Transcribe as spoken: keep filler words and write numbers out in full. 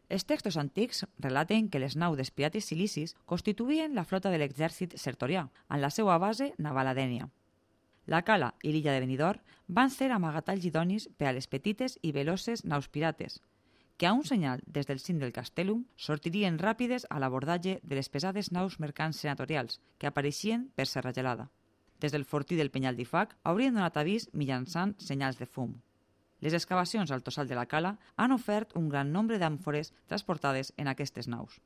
Els textos antics relaten que les naus dels pirates silicis constituïen la flota de l'exèrcit sertorià, amb la seva base naval a Dénia. La cala i l'illa de Benidorm van ser amagatalls idonis per a les petites i veloces naus pirates, que a un senyal des del cim del Castellum sortirien ràpides a l'abordatge de les pesades naus mercants senatorials que apareixien per Serra Gelada. Des del fortí del Penyal d'Ifac haurien donat avís mitjançant senyals de fum. Les excavacions al tossal de la cala han ofert un gran nombre d'àmfores transportades en aquestes naus.